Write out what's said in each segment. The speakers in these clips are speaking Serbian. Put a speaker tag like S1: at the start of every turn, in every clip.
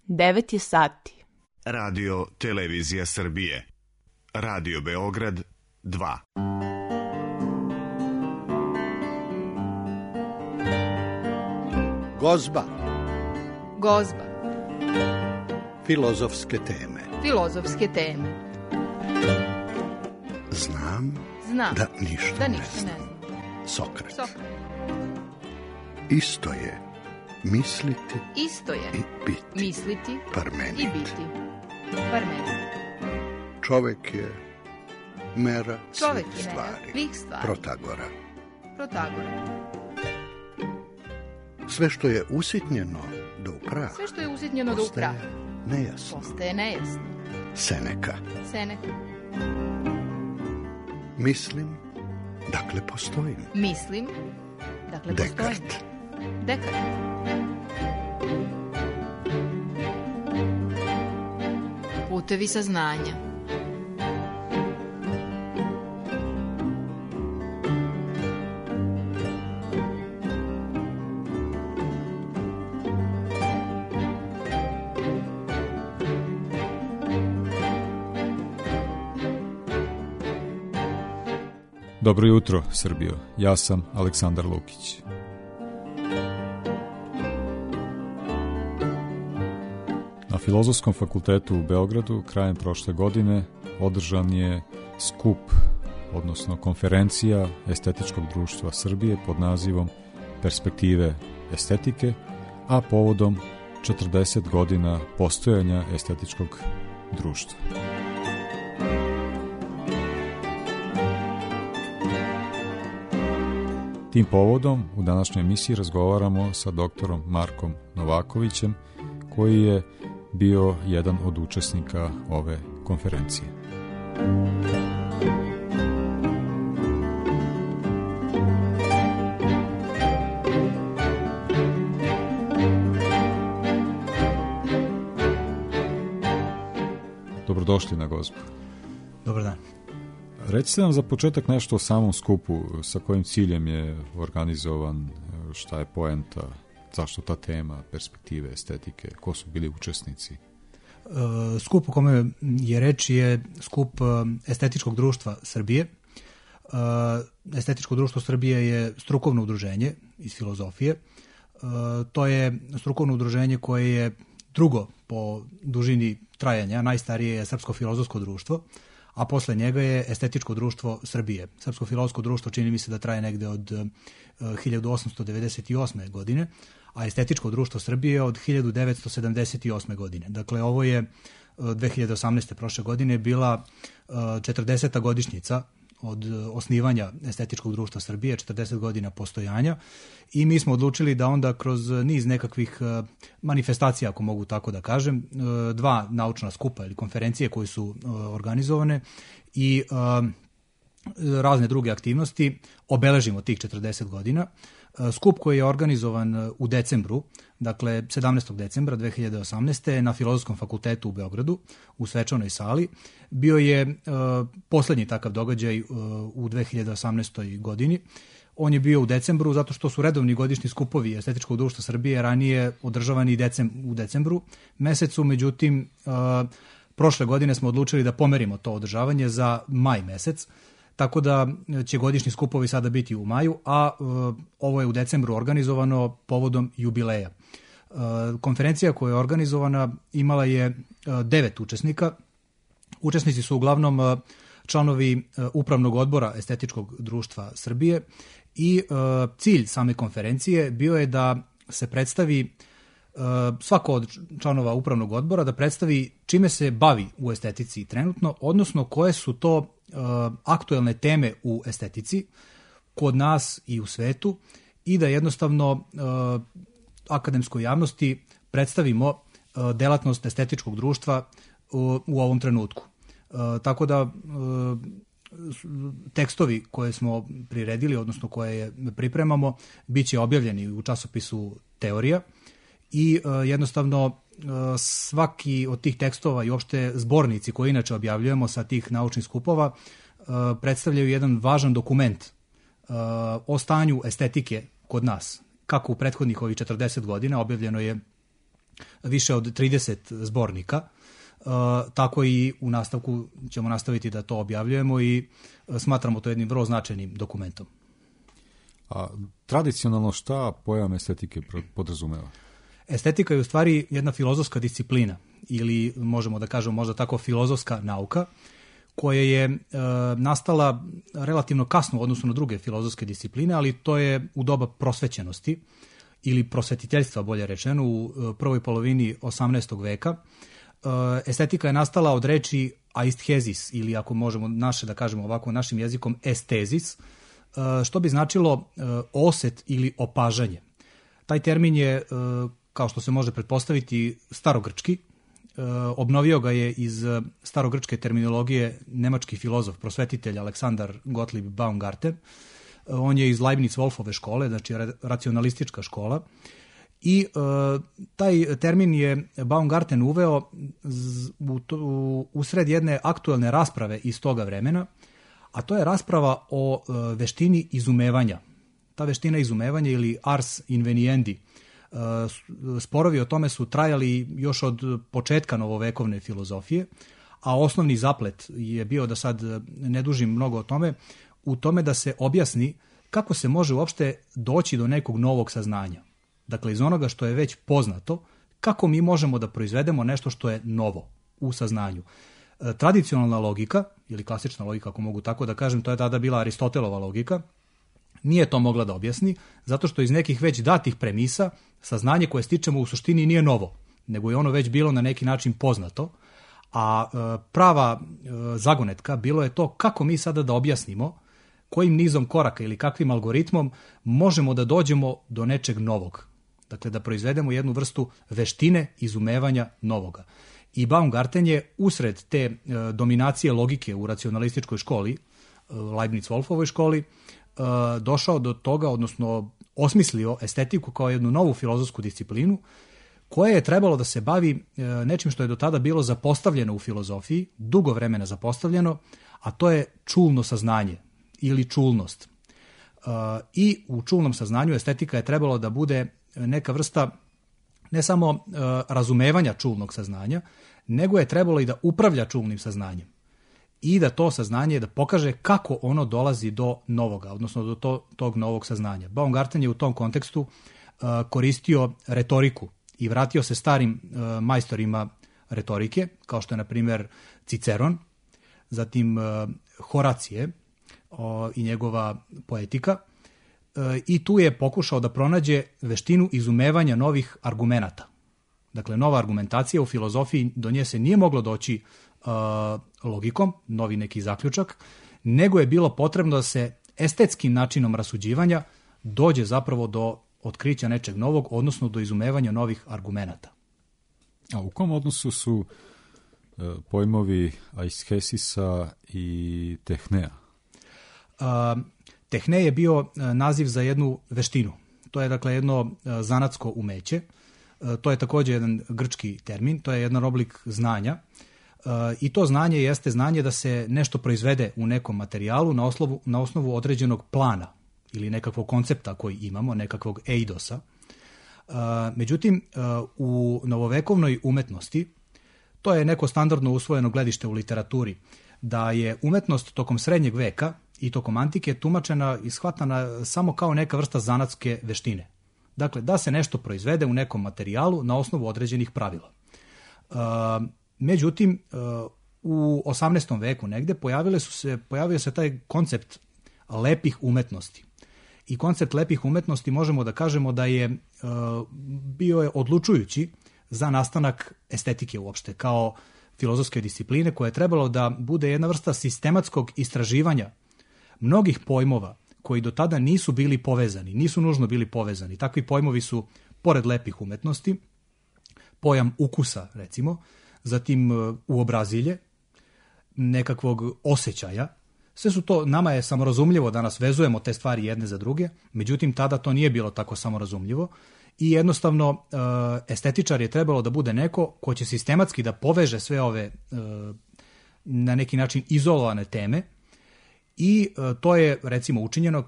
S1: 9 je sati.
S2: Radio Televizija Srbije. Radio Beograd 2.
S3: Gozba.
S4: Gozba.
S3: Filozofske teme.
S4: Filozofske teme.
S3: Znam da ništa ne znam. Sokrat. Isto je misliti i biti.
S4: Misliti
S3: Parmenid.
S4: i biti. Parmenid.
S3: Čovek je mera
S4: Čovek
S3: svih
S4: je mera
S3: stvari.
S4: svih stvari.
S3: Protagora. Sve što je usitnjeno do upraha.
S4: Sve što je usitnjeno do upraha.
S3: Nejasno.
S4: Postaje nejasno.
S3: Seneka. Mislim, dakle postojim.
S4: Mislim, dakle postojim. Dekart. Putevi saznanja.
S5: Dobro jutro, Srbijo. Ja sam Aleksandar Lukić. Na Filozofskom fakultetu u Beogradu krajem prošle godine održan je skup, odnosno konferencija Estetičkog društva Srbije pod nazivom Perspektive estetike, a povodom 40 godina postojanja Estetičkog društva. Tim povodom u današnjoj emisiji razgovaramo sa doktorom Markom Novakovićem, koji je bio jedan od učesnika ove konferencije. Dobrodošli na Gozbu.
S6: Dobar dan.
S5: Recite nam za početak nešto o samom skupu, sa kojim ciljem je organizovan, šta je poenta, zašto ta tema, perspektive, estetike, ko su bili učesnici?
S6: Skup o kome je reč je skup Estetičkog društva Srbije. Estetičko društvo Srbije je strukovno udruženje iz filozofije. To je strukovno udruženje koje je drugo po dužini trajanja, najstarije je Srpsko filozofsko društvo, a posle njega je Estetičko društvo Srbije. Srpsko filozofsko društvo čini mi se da traje negde od 1898. godine, a Estetičko društvo Srbije od 1978. godine. Dakle, ovo je 2018. prošle godine bila 40. godišnjica od osnivanja Estetičkog društva Srbije, 40 godina postojanja, i mi smo odlučili da onda kroz niz nekakvih manifestacija, ako mogu tako da kažem, 2 naučna skupa ili konferencije koje su organizovane i razne druge aktivnosti obeležimo tih 40 godina. Skup koji je organizovan u decembru, dakle 17. decembra 2018. na Filozofskom fakultetu u Beogradu, u svečanoj sali, bio je poslednji takav događaj u 2018. godini. On je bio u decembru zato što su redovni godišnji skupovi Estetičkog društva Srbije ranije održavani u decembru mesecu, međutim prošle godine smo odlučili da pomerimo to održavanje za maj mesec, tako da će godišnji skupovi sada biti u maju, a ovo je u decembru organizovano povodom jubileja. Konferencija koja je organizovana imala je 9 učesnika. Učesnici su uglavnom članovi Upravnog odbora Estetičkog društva Srbije i cilj same konferencije bio je da se predstavi svako od članova Upravnog odbora, da predstavi čime se bavi u estetici trenutno, odnosno koje su to aktuelne teme u estetici kod nas i u svetu, i da jednostavno akademskoj javnosti predstavimo delatnost Estetičkog društva u ovom trenutku. Tako da tekstovi koje smo priredili, odnosno koje pripremamo, bit će objavljeni u časopisu Teorija i jednostavno svaki od tih tekstova i uopšte zbornici koje inače objavljujemo sa tih naučnih skupova predstavljaju jedan važan dokument o stanju estetike kod nas. Kako u prethodnih ovih 40 godina objavljeno je više od 30 zbornika. Tako i u nastavku ćemo nastaviti da to objavljujemo i smatramo to jednim vrlo značajnim dokumentom.
S5: A tradicionalno šta pojam estetike podrazumeva? Estetika
S6: je u stvari jedna filozofska disciplina ili možemo da kažemo možda tako filozofska nauka koja je nastala relativno kasno u odnosu na druge filozofske discipline, ali to je u doba prosvećenosti ili prosvetiteljstva, bolje rečeno, u prvoj polovini 18. veka. Estetika je nastala od reči aisthesis ili ako možemo naše da kažemo ovako našim jezikom estezis, što bi značilo oset ili opažanje. Taj termin je, kao što se može pretpostaviti, starogrčki. Obnovio ga je iz starogrčke terminologije nemački filozof, prosvetitelj Aleksandar Gottlieb Baumgarten. On je iz Leibniz-Wolfove škole, znači racionalistička škola. I taj termin je Baumgarten uveo usred jedne aktuelne rasprave iz toga vremena, a to je rasprava o veštini izumevanja. Ta veština izumevanja ili ars inveniendi, sporovi o tome su trajali još od početka novovekovne filozofije, a osnovni zaplet je bio, da sad ne dužim mnogo o tome, u tome da se objasni kako se može uopšte doći do nekog novog saznanja. Dakle, iz onoga što je već poznato, kako mi možemo da proizvedemo nešto što je novo u saznanju. Tradicionalna logika, ili klasična logika, ako mogu tako da kažem, to je tada bila Aristotelova logika, nije to mogla da objasni, zato što iz nekih već datih premisa saznanje koje stičemo u suštini nije novo, nego je ono već bilo na neki način poznato, a prava zagonetka bilo je to kako mi sada da objasnimo, kojim nizom koraka ili kakvim algoritmom možemo da dođemo do nečeg novog. Dakle, da proizvedemo jednu vrstu veštine izumevanja novoga. I Baumgarten je usred te dominacije logike u racionalističkoj školi, Leibniz-Wolfovoj školi, došao do toga, odnosno osmislio estetiku kao jednu novu filozofsku disciplinu koja je trebalo da se bavi nečim što je do tada bilo zapostavljeno u filozofiji, dugo vremena zapostavljeno, a to je čulno saznanje ili čulnost. I u čulnom saznanju estetika je trebalo da bude neka vrsta ne samo razumevanja čulnog saznanja, nego je trebalo i da upravlja čulnim saznanjem i da to saznanje da pokaže kako ono dolazi do novoga, odnosno do tog novog saznanja. Baumgarten je u tom kontekstu koristio retoriku i vratio se starim majstorima retorike, kao što je, na primjer, Ciceron, zatim Horacije i njegova poetika, i tu je pokušao da pronađe veštinu izumevanja novih argumenata. Dakle, nova argumentacija u filozofiji, do nje se nije moglo doći logikom, novi neki zaključak, nego je bilo potrebno da se estetskim načinom rasuđivanja dođe zapravo do otkrića nečeg novog, odnosno do izumevanja novih argumenata.
S5: A u kom odnosu su pojmovi aishesisa i tehnea?
S6: Tehne je bio naziv za jednu veštinu. To je, dakle, jedno zanatsko umeće. To je također jedan grčki termin, to je jedan oblik znanja. I to znanje jeste znanje da se nešto proizvede u nekom materijalu na osnovu određenog plana ili nekakvog koncepta koji imamo, nekakvog eidosa. Međutim, u novovekovnoj umetnosti, to je neko standardno usvojeno gledište u literaturi, da je umetnost tokom srednjeg veka i tokom antike tumačena i shvatana samo kao neka vrsta zanatske veštine. Dakle, da se nešto proizvede u nekom materijalu na osnovu određenih pravila. Međutim, u 18. veku negde pojavio se taj koncept lepih umetnosti. I koncept lepih umetnosti možemo da kažemo da je bio je odlučujući za nastanak estetike uopšte, kao filozofske discipline koja je trebalo da bude jedna vrsta sistematskog istraživanja mnogih pojmova koji do tada nisu bili povezani, nisu nužno bili povezani. Takvi pojmovi su, pored lepih umetnosti, pojam ukusa, recimo, zatim uobrazilje, nekakvog osjećaja. Sve su to, nama je samorazumljivo da nas vezujemo te stvari jedne za druge, međutim tada to nije bilo tako samorazumljivo i jednostavno estetičar je trebalo da bude neko ko će sistematski da poveže sve ove na neki način izolovane teme i to je, recimo, učinjeno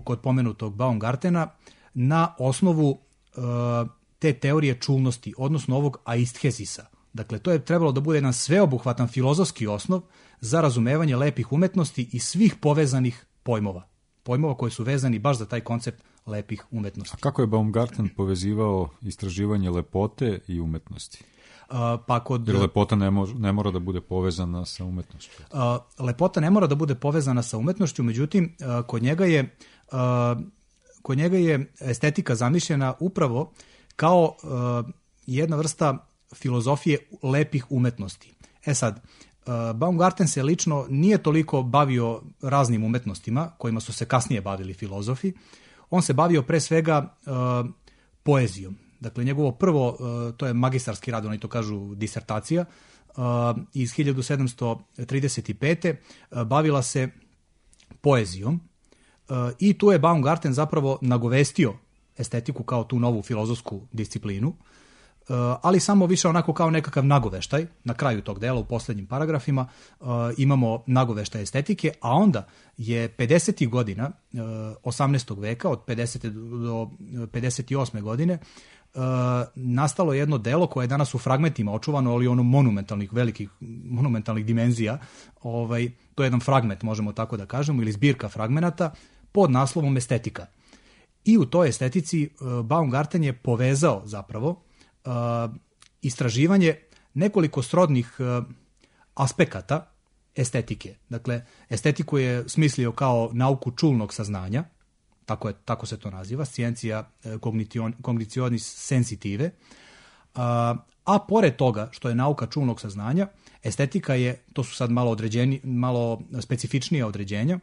S6: kod pomenutog Baumgartena na osnovu te teorije čulnosti, odnosno ovog aisthezisa. Dakle, to je trebalo da bude jedan sveobuhvatan filozofski osnov za razumevanje lepih umetnosti i svih povezanih pojmova. Pojmova koji su vezani baš za taj koncept lepih umetnosti.
S5: A kako je Baumgarten povezivao istraživanje lepote i umetnosti? Jer lepota ne mora da bude povezana sa umetnošću.
S6: Lepota ne mora da bude povezana sa umetnošću, međutim, kod njega je estetika zamišljena upravo kao jedna vrsta filozofije lepih umetnosti. Sad, Baumgarten se lično nije toliko bavio raznim umetnostima kojima su se kasnije bavili filozofi. On se bavio pre svega poezijom. Dakle, njegovo prvo, to je magistarski rad, oni to kažu disertacija, iz 1735. Bavila se poezijom i tu je Baumgarten zapravo nagovestio estetiku kao tu novu filozofsku disciplinu, ali samo više onako kao nekakav nagoveštaj. Na kraju tog dela, u poslednjim paragrafima, imamo nagoveštaj estetike, a onda je 50. godina 18. veka, od 50. do 58. godine, nastalo jedno delo koje je danas u fragmentima očuvano, ali ono velikih monumentalnih dimenzija. To je jedan fragment, možemo tako da kažemo, ili zbirka fragmenata pod naslovom Estetika. I u toj estetici Baumgarten je povezao zapravo istraživanje nekoliko srodnih aspekata estetike. Dakle, estetiku je smislio kao nauku čulnog saznanja, tako se to naziva, scientia cognitionis sensitive, a pored toga što je nauka čulnog saznanja, estetika je, to su sad malo specifičnija određenja,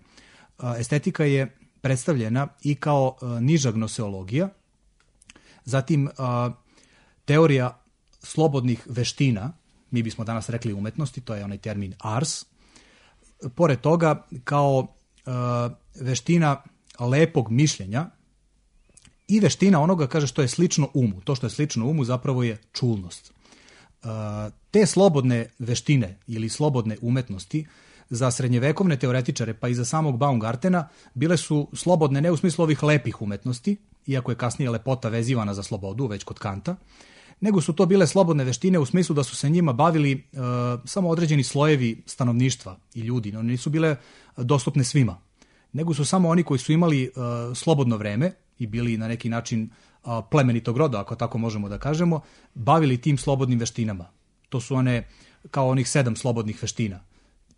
S6: estetika je predstavljena i kao niža gnoseologija, zatim teorija slobodnih veština, mi bismo danas rekli umetnosti, to je onaj termin ars, pored toga kao veština lepog mišljenja i veština onoga, kaže, što je slično umu. To što je slično umu zapravo je čulnost. Te slobodne veštine ili slobodne umetnosti za srednjevekovne teoretičare, pa i za samog Baumgartena, bile su slobodne ne u smislu ovih lepih umetnosti, iako je kasnije lepota vezivana za slobodu, već kod Kanta, nego su to bile slobodne veštine u smislu da su se njima bavili samo određeni slojevi stanovništva i ljudi. One nisu bile dostupne svima, nego su samo oni koji su imali slobodno vreme i bili na neki način plemenitog roda, ako tako možemo da kažemo, bavili tim slobodnim veštinama. To su one kao onih 7 slobodnih veština.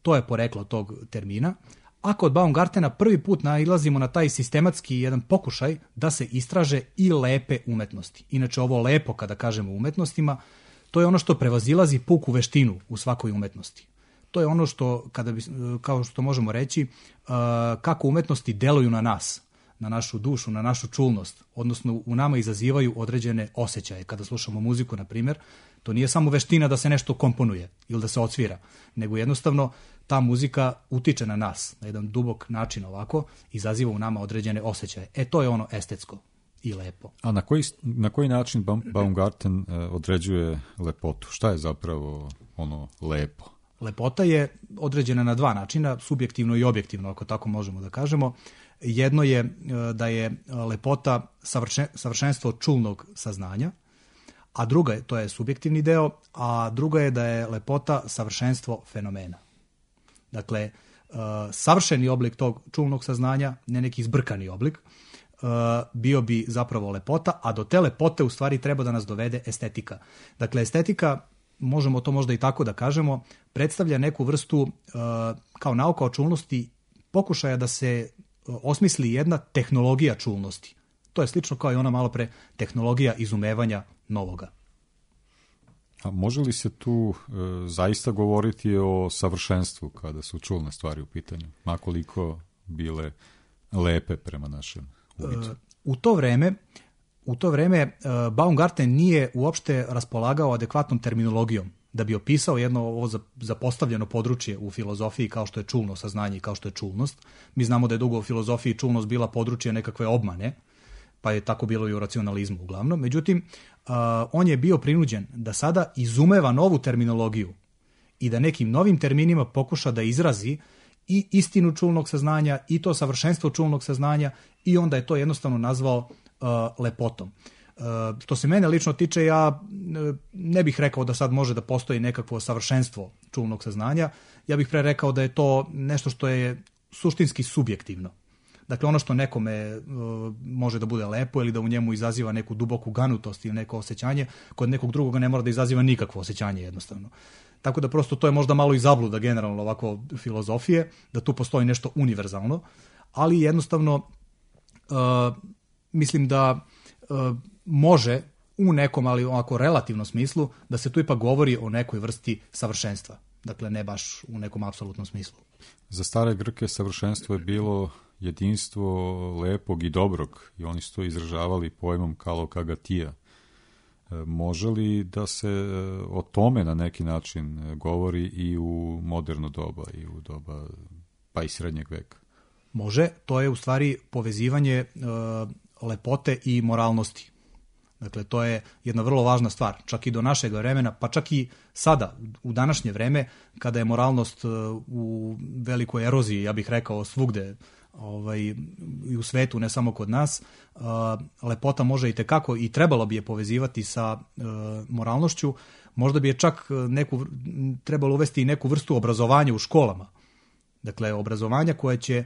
S6: To je poreklo tog termina. A kod Baumgartena prvi put nailazimo na taj sistematski jedan pokušaj da se istraže i lepe umetnosti. Inače, ovo lepo, kada kažemo umetnostima, to je ono što prevazilazi puku veštinu u svakoj umetnosti. To je ono što, kao što možemo reći, kako umetnosti deluju na nas, na našu dušu, na našu čulnost, odnosno u nama izazivaju određene osjećaje. Kada slušamo muziku, na primjer, to nije samo veština da se nešto komponuje ili da se odsvira, nego jednostavno ta muzika utiče na nas na jedan dubok način, ovako, izaziva u nama određene osjećaje. To je ono estetsko i lepo.
S5: A na koji način Baumgarten određuje lepotu? Šta je zapravo ono lepo?
S6: Lepota je određena na 2 načina, subjektivno i objektivno, ako tako možemo da kažemo. Jedno je da je lepota savršenstvo čulnog saznanja, a druga je, to je subjektivni deo, a druga je da je lepota savršenstvo fenomena. Dakle, savršeni oblik tog čulnog saznanja, ne neki zbrkani oblik, bio bi zapravo lepota, a do te lepote u stvari treba da nas dovede estetika. Dakle, estetika, možemo to možda i tako da kažemo, predstavlja neku vrstu, kao nauka o čulnosti, pokušaja da se osmisli jedna tehnologija čulnosti. To je slično kao i ona malo pre tehnologija izumevanja novoga.
S5: A može li se tu zaista govoriti o savršenstvu kada su čulne stvari u pitanju, makoliko bile lepe prema našem uviđaju? U to vreme Baumgarten nije uopšte raspolagao adekvatnom terminologijom da bi opisao jedno ovo zapostavljeno područje u filozofiji kao što je čulno saznanje i kao što je čulnost. Mi znamo da je dugo u filozofiji čulnost bila područje nekakve obmane, pa je tako bilo i u racionalizmu uglavnom. Međutim, on je bio prinuđen da sada izumeva novu terminologiju i da nekim novim terminima pokuša da izrazi i istinu čulnog saznanja i to savršenstvo čulnog saznanja i onda je to jednostavno nazvao lepotom.
S6: Što se mene lično tiče, ja ne bih rekao da sad može da postoji nekakvo savršenstvo čulnog saznanja. Ja bih pre rekao da je to nešto što je suštinski subjektivno. Dakle, ono što nekome može da bude lepo ili da u njemu izaziva neku duboku ganutost ili neko osjećanje, kod nekog drugoga ne mora da izaziva nikakvo osjećanje jednostavno. Tako da prosto to je možda malo i zabluda generalno ovako filozofije, da tu postoji nešto univerzalno, ali jednostavno mislim da može u nekom, ali ovako relativnom smislu, da se tu ipak govori o nekoj vrsti savršenstva. Dakle, ne baš u nekom apsolutnom smislu.
S5: Za stare Grke savršenstvo je bilo jedinstvo lepog i dobrog i oni su to izražavali pojmom kalokagatija. Može li da se o tome na neki način govori i u moderno doba i u doba pa i srednjeg veka?
S6: Može, to je u stvari povezivanje lepote i moralnosti. Dakle, to je jedna vrlo važna stvar, čak i do našeg vremena, pa čak i sada, u današnje vreme, kada je moralnost u velikoj eroziji, ja bih rekao svugde i u svetu, ne samo kod nas, lepota može i tekako i trebalo bi je povezivati sa moralnošću. Možda bi je čak trebalo uvesti i neku vrstu obrazovanja u školama. Dakle, obrazovanja koje će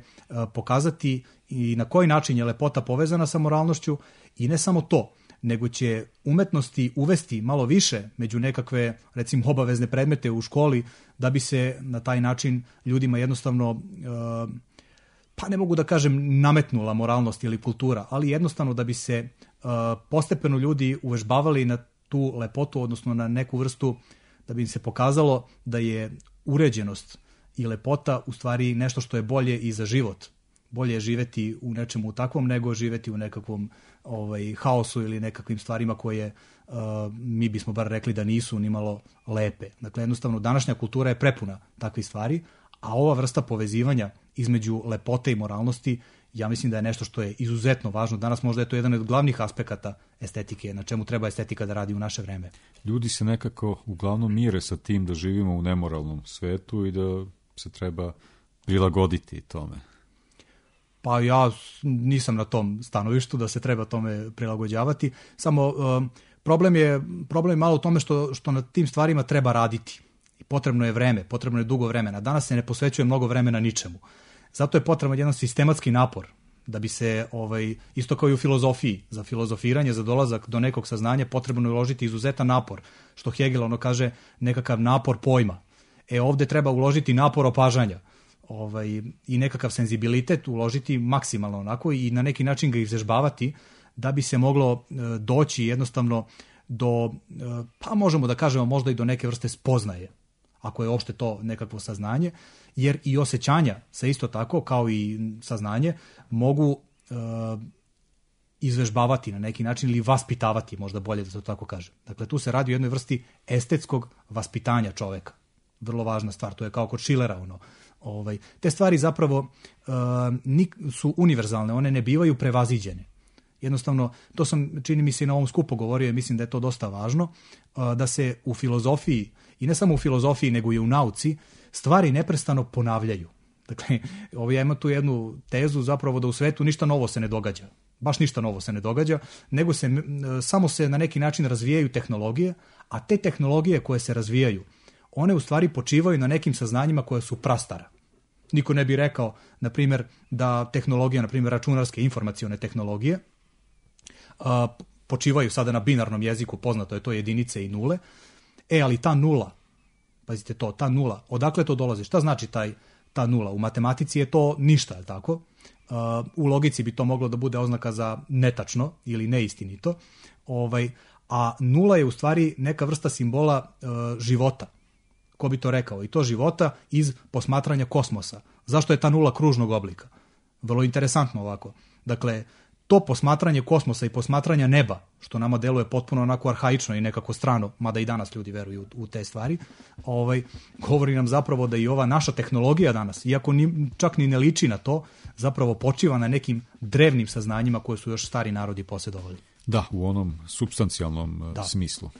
S6: pokazati i na koji način je lepota povezana sa moralnošću i ne samo to, nego će umetnosti uvesti malo više među nekakve, recimo, obavezne predmete u školi, da bi se na taj način ljudima jednostavno, pa ne mogu da kažem nametnula moralnost ili kultura, ali jednostavno da bi se postepeno ljudi uvežbavali na tu lepotu, odnosno na neku vrstu, da bi im se pokazalo da je uređenost i lepota u stvari nešto što je bolje i za život. Bolje je živeti u nečemu takvom nego živeti u nekakvom haosu ili nekakvim stvarima koje mi bismo bar rekli da nisu ni malo lepe. Dakle, jednostavno, današnja kultura je prepuna takvih stvari, a ova vrsta povezivanja između lepote i moralnosti, ja mislim da je nešto što je izuzetno važno. Danas možda je to jedan od glavnih aspekata estetike, na čemu treba estetika da radi u naše vreme.
S5: Ljudi se nekako uglavnom mire sa tim da živimo u nemoralnom svetu i da se treba prilagoditi tome.
S6: Pa ja nisam na tom stanovištu da se treba tome prilagođavati. Samo problem je malo u tome što na tim stvarima treba raditi. I potrebno je vreme, potrebno je dugo vremena. Danas se ne posvećuje mnogo vremena ničemu. Zato je potreban jedan sistematski napor da bi se, isto kao i u filozofiji, za filozofiranje, za dolazak do nekog saznanja potrebno je uložiti izuzetan napor. Što Hegel kaže, nekakav napor pojma. Ovde treba uložiti napor opažanja. I nekakav senzibilitet uložiti maksimalno onako i na neki način ga izvežbavati da bi se moglo doći jednostavno do, pa možemo da kažemo možda i do neke vrste spoznaje, ako je uopšte to nekakvo saznanje, jer i osjećanja se isto tako kao i saznanje mogu izvežbavati na neki način ili vaspitavati, možda bolje da se to tako kaže. Dakle, tu se radi o jednoj vrsti estetskog vaspitanja čoveka. Vrlo važna stvar, to je kao kod Schillera te stvari zapravo su univerzalne, one ne bivaju prevaziđene. Jednostavno, to sam, čini mi se, na ovom skupu govorio i mislim da je to dosta važno, da se u filozofiji, i ne samo u filozofiji, nego i u nauci, stvari neprestano ponavljaju. Dakle, ja imam tu jednu tezu zapravo da u svetu ništa novo se ne događa. Baš ništa novo se ne događa, nego samo se na neki način razvijaju tehnologije, a te tehnologije koje se razvijaju, one u stvari počivaju na nekim saznanjima koje su prastara. Niko ne bi rekao, na primjer, da tehnologija, na primjer, računarske informacione tehnologije, počivaju sada na binarnom jeziku, poznato je to jedinice i nule, ali ta nula, pazite to, ta nula, odakle to dolazi? Šta znači ta nula? U matematici je to ništa, je tako? U logici bi to moglo da bude oznaka za netačno ili neistinito, a nula je u stvari neka vrsta simbola života. Ko bi to rekao? I to života iz posmatranja kosmosa. Zašto je ta nula kružnog oblika? Vrlo interesantno ovako. Dakle, to posmatranje kosmosa i posmatranja neba, što nama deluje potpuno onako arhaično i nekako strano, mada i danas ljudi veruju u te stvari, govori nam zapravo da i ova naša tehnologija danas, iako čak ni ne liči na to, zapravo počiva na nekim drevnim saznanjima koje su još stari narodi posjedovali.
S5: Da, u onom supstancijalnom smislu.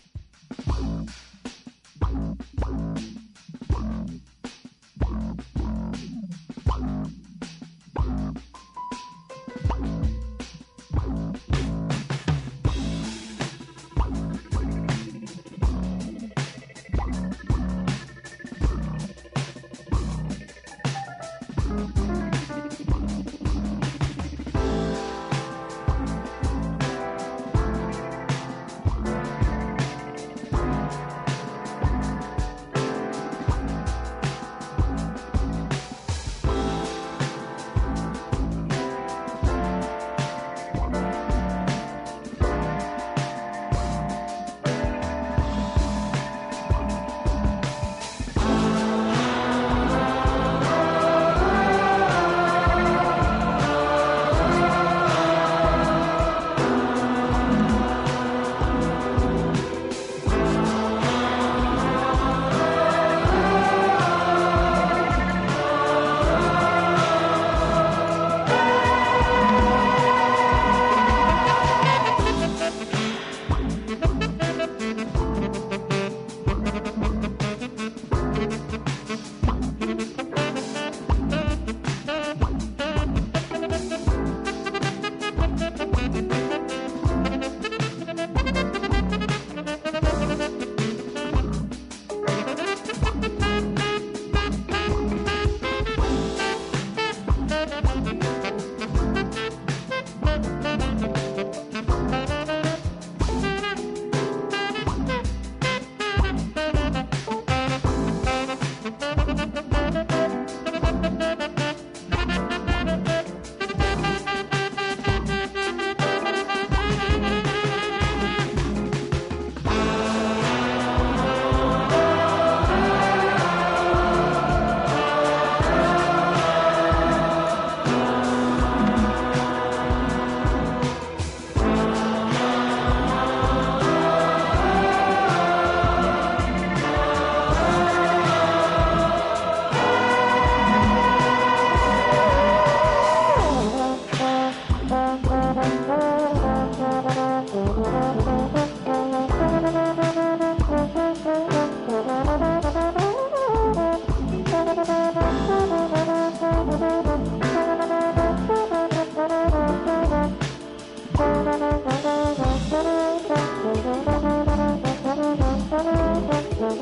S5: Slušate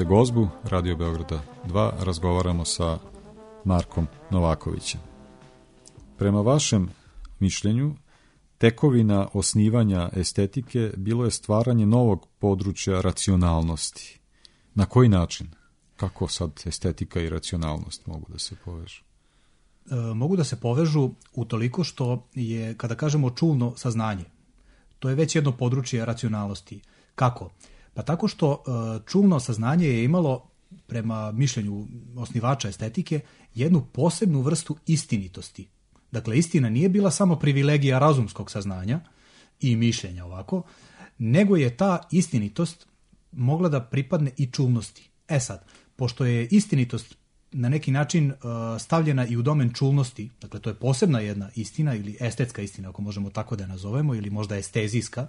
S5: Gozbu, Radio Beograda 2, razgovaramo sa Markom Novakovićem. Prema vašem mišljenju, tekovina osnivanja estetike bilo je stvaranje novog područja racionalnosti. Na koji način? Kako sad estetika i racionalnost mogu da se povežu?
S6: Mogu da se povežu utoliko što je, kada kažemo čulno saznanje, to je već jedno područje racionalnosti. Kako? Pa tako što čulno saznanje je imalo, prema mišljenju osnivača estetike, jednu posebnu vrstu istinitosti. Dakle, istina nije bila samo privilegija razumskog saznanja i mišljenja ovako, nego je ta istinitost mogla da pripadne i čulnosti. E sad, pošto je istinitost na neki način stavljena i u domen čulnosti, dakle to je posebna jedna istina ili estetska istina, ako možemo tako da je nazovemo, ili možda estezijska,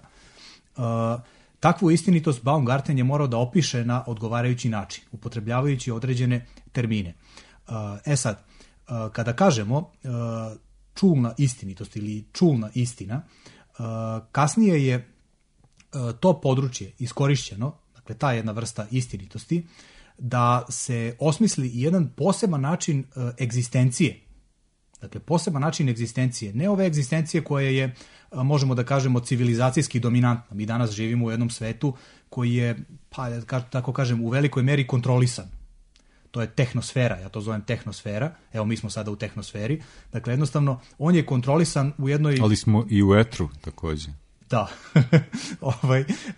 S6: takvu istinitost Baumgarten je morao da opiše na odgovarajući način, upotrebljavajući određene termine. E sad, kada kažemo čulna istinitost ili čulna istina, kasnije je to područje iskorišćeno, dakle ta jedna vrsta istinitosti, da se osmisli jedan poseban način egzistencije. Dakle, poseban način egzistencije, ne ove egzistencije koja je, možemo da kažemo, civilizacijski dominantna. Mi danas živimo u jednom svetu koji je, pa tako kažem, u velikoj meri kontrolisan. To je tehnosfera, ja to zovem tehnosfera, evo mi smo sada u tehnosferi, dakle jednostavno on je kontrolisan u jednoj...
S5: Ali smo i u etru takođe.
S6: Da,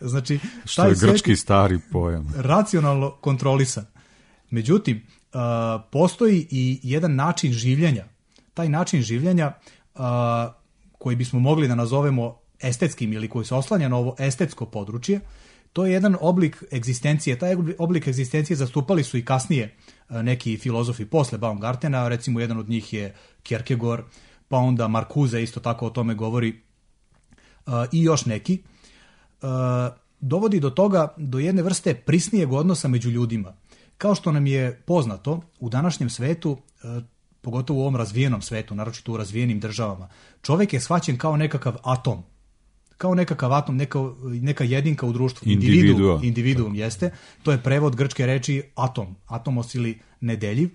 S6: znači...
S5: Što je grčki stari pojam.
S6: Racionalno kontrolisan. Međutim, postoji i jedan način življenja. Taj način življenja koji bismo mogli da nazovemo estetskim ili koji se oslanja na ovo estetsko područje, to je jedan oblik egzistencije. Taj oblik egzistencije zastupali su i kasnije neki filozofi posle Baumgartena, recimo jedan od njih je Kierkegaard, pa onda Marcuse isto tako o tome govori i još neki. Dovodi do toga, do jedne vrste prisnijeg odnosa među ljudima. Kao što nam je poznato, u današnjem svetu, pogotovo u ovom razvijenom svetu, naročito u razvijenim državama, čovjek je shvaćen kao nekakav atom. Kao nekakav atom, neka jedinka u društvu. Individuum jeste. To je prevod grčke reči atom. Atomos ili nedeljiv.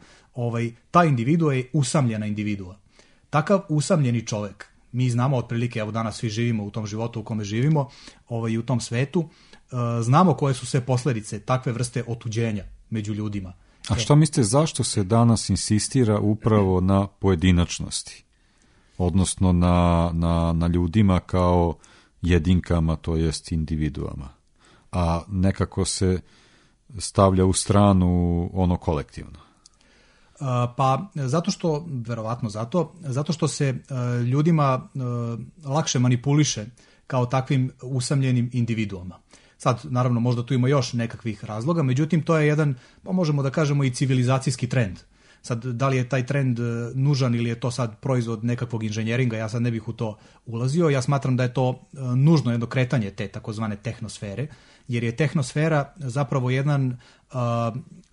S6: Ta individua je usamljena individua. Takav usamljeni čovjek, mi znamo otprilike, evo danas svi živimo u tom životu u kome živimo, i u tom svetu, znamo koje su sve posljedice takve vrste otuđenja među ljudima.
S5: A šta mislite, zašto se danas insistira upravo na pojedinačnosti? Odnosno na ljudima kao jedinkama, to jest individuama. A nekako se stavlja u stranu ono kolektivno.
S6: Pa zato što, verovatno zato što se ljudima lakše manipuliše kao takvim usamljenim individuama. Sad, naravno, možda tu ima još nekakvih razloga, međutim, to je jedan, pa možemo da kažemo i civilizacijski trend. Sad, da li je taj trend nužan ili je to sad proizvod nekakvog inženjeringa, ja sad ne bih u to ulazio. Ja smatram da je to nužno jedno kretanje te takozvane tehnosfere, jer je tehnosfera zapravo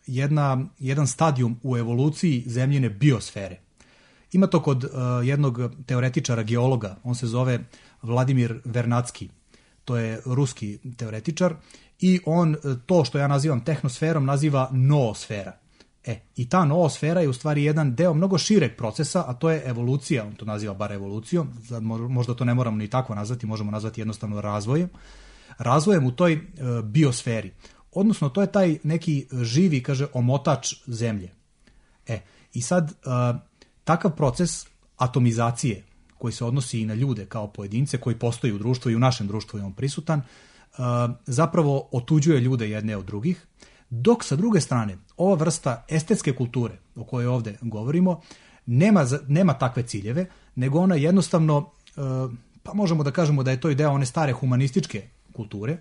S6: jedan stadijum u evoluciji zemljine biosfere. Ima to kod jednog teoretičara, geologa, on se zove Vladimir Vernadski, to je ruski teoretičar, i on to što ja nazivam tehnosferom naziva noosfera. I ta noosfera je u stvari jedan deo mnogo šireg procesa, a to je evolucija, on to naziva bar evolucijom, možda to ne moramo ni tako nazvati, možemo nazvati jednostavno razvojem u toj biosferi. Odnosno, to je taj neki živi, kaže, omotač zemlje. I sad, takav proces atomizacije, koji se odnosi i na ljude kao pojedince, koji postoji u društvu i u našem društvu je on prisutan, zapravo otuđuje ljude jedne od drugih, dok sa druge strane, ova vrsta estetske kulture o kojoj ovdje govorimo, nema takve ciljeve, nego ona jednostavno, pa možemo da kažemo da je to ideja one stare humanističke kulture,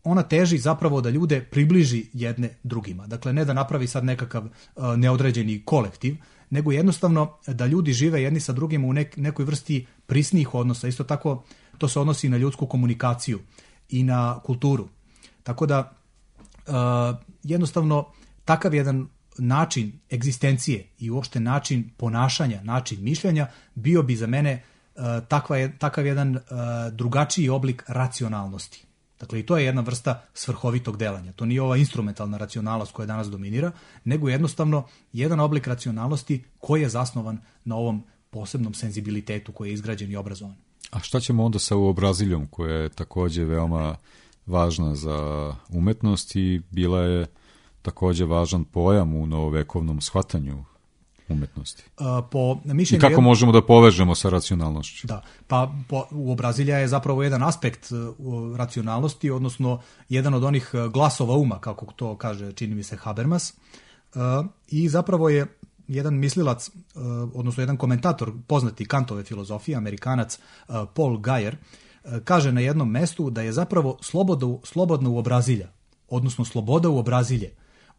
S6: ona teži zapravo da ljude približi jedne drugima. Dakle, ne da napravi sad nekakav neodređeni kolektiv, nego jednostavno da ljudi žive jedni sa drugima u nekoj vrsti prisnijih odnosa. Isto tako to se odnosi na ljudsku komunikaciju i na kulturu. Tako da jednostavno takav jedan način egzistencije i uopšte način ponašanja, način mišljenja bio bi za mene takav jedan drugačiji oblik racionalnosti. Dakle, i to je jedna vrsta svrhovitog delanja. To nije ova instrumentalna racionalnost koja danas dominira, nego jednostavno jedan oblik racionalnosti koji je zasnovan na ovom posebnom senzibilitetu koji je izgrađen i obrazovan.
S5: A šta ćemo onda sa uobraziljom koja je takođe veoma važna za umetnost i bila je takođe važan pojam u novovekovnom shvatanju umetnosti? I kako možemo da povežemo sa racionalnošću?
S6: Da, pa uobrazilja je zapravo jedan aspekt racionalnosti, odnosno jedan od onih glasova uma, kako to kaže, čini mi se, Habermas, i zapravo je jedan mislilac, odnosno jedan komentator poznati Kantove filozofije, Amerikanac Paul Guyer, kaže na jednom mestu da je zapravo slobodna uobrazilja, odnosno sloboda uobrazilje,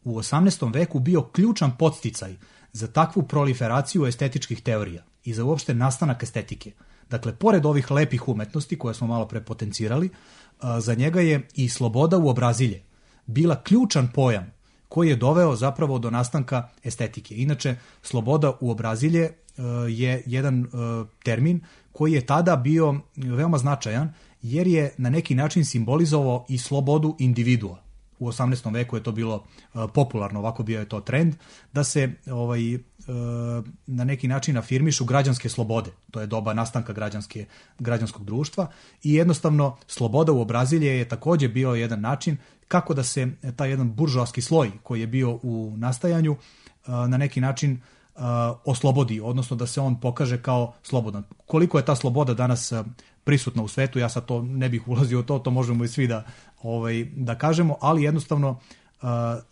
S6: u 18. veku bio ključan podsticaj za takvu proliferaciju estetičkih teorija i za uopšte nastanak estetike. Dakle, pored ovih lepih umetnosti koje smo malo pre potencirali, za njega je i sloboda uobrazilje bila ključan pojam koji je doveo zapravo do nastanka estetike. Inače, sloboda uobrazilje je jedan termin koji je tada bio veoma značajan jer je na neki način simbolizovao i slobodu individua. U 18. veku je to bilo popularno, ovako bio je to trend, da se na neki način afirmišu građanske slobode. To je doba nastanka građanskog društva i jednostavno sloboda uobrazilje je takođe bio jedan način kako da se taj jedan buržoaski sloj koji je bio u nastajanju na neki način oslobodi, odnosno da se on pokaže kao slobodan. Koliko je ta sloboda danas prisutna u svetu, ja sad to ne bih ulazio u to možemo i svi da kažemo, ali jednostavno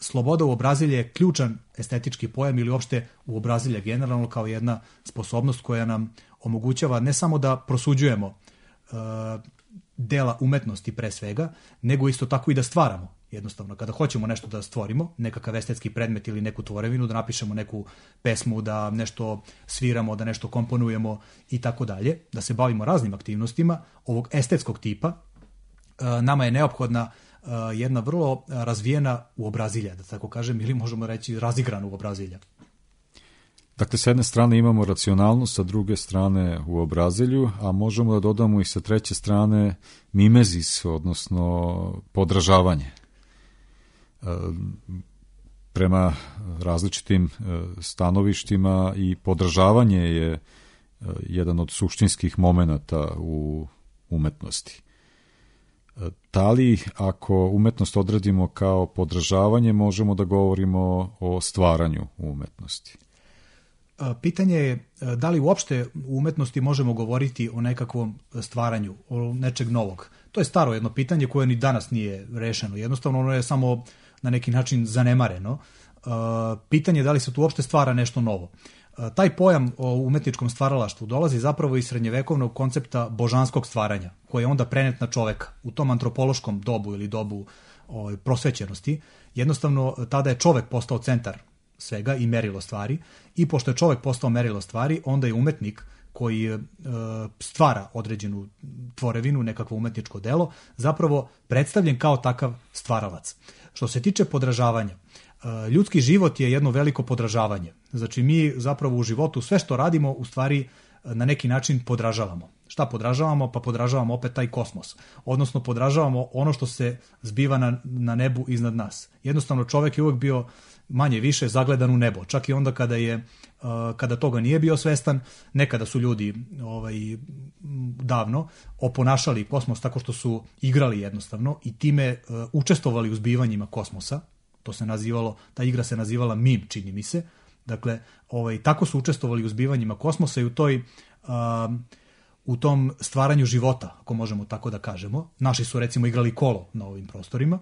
S6: sloboda uobrazilje je ključan estetički pojam ili uopšte uobrazilje generalno kao jedna sposobnost koja nam omogućava ne samo da prosuđujemo dela umetnosti pre svega, nego isto tako i da stvaramo. Jednostavno, kada hoćemo nešto da stvorimo, nekakav estetski predmet ili neku tvorevinu, da napišemo neku pesmu, da nešto sviramo, da nešto komponujemo i tako dalje, da se bavimo raznim aktivnostima ovog estetskog tipa, nama je neophodna jedna vrlo razvijena uobrazilja, da tako kažem, ili možemo reći razigrana uobrazilja.
S5: Dakle, s jedne strane imamo racionalnost, sa druge strane uobrazilju, a možemo da dodamo i sa treće strane mimezis, odnosno podražavanje. Prema različitim stanovištima i podražavanje je jedan od suštinskih momenata u umetnosti. Da li, ako umetnost odredimo kao podražavanje, možemo da govorimo o stvaranju u umetnosti?
S6: Pitanje je da li uopšte u umetnosti možemo govoriti o nekakvom stvaranju, o nečeg novog. To je staro jedno pitanje koje ni danas nije rešeno. Jednostavno ono je samo na neki način zanemareno. Pitanje je da li se tu uopšte stvara nešto novo. Taj pojam o umetničkom stvaralaštvu dolazi zapravo iz srednjevekovnog koncepta božanskog stvaranja, koji je onda prenet na čoveka. U tom antropološkom dobu ili dobu prosvećenosti, jednostavno tada je čovek postao centar svega i merilo stvari, i pošto je čovek postao merilo stvari, onda je umetnik koji stvara određenu tvorevinu, nekakvo umetničko delo, zapravo predstavljen kao takav stvaralac. Što se tiče podražavanja, ljudski život je jedno veliko podražavanje. Znači mi zapravo u životu sve što radimo u stvari na neki način podražavamo. Šta podražavamo? Pa podražavamo opet taj kosmos. Odnosno podražavamo ono što se zbiva na nebu iznad nas. Jednostavno čovek je uvek bio manje više zagledan u nebo. Čak i onda kada toga nije bio svestan, nekada su ljudi davno oponašali kosmos tako što su igrali jednostavno i time učestvovali u zbivanjima kosmosa. To se nazivalo, ta igra se nazivala mim, čini mi se. Dakle, tako su učestvovali u zbivanjima kosmosa i u tom stvaranju života, ako možemo tako da kažemo. Naši su recimo igrali kolo na ovim prostorima,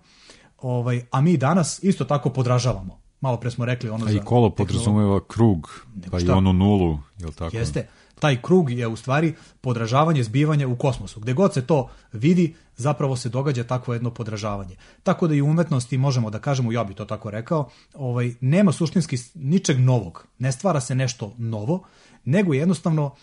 S6: a mi danas isto tako podražavamo. Malo pre smo rekli ono za...
S5: A i kolo podrazumeva krug, pa i onu nulu, je li tako?
S6: Jeste. Taj krug je u stvari podražavanje zbivanja u kosmosu. Gde god se to vidi, zapravo se događa takvo jedno podražavanje. Tako da i u umetnosti možemo da kažemo, ja bi to tako rekao, nema suštinski ničeg novog. Ne stvara se nešto novo, nego jednostavno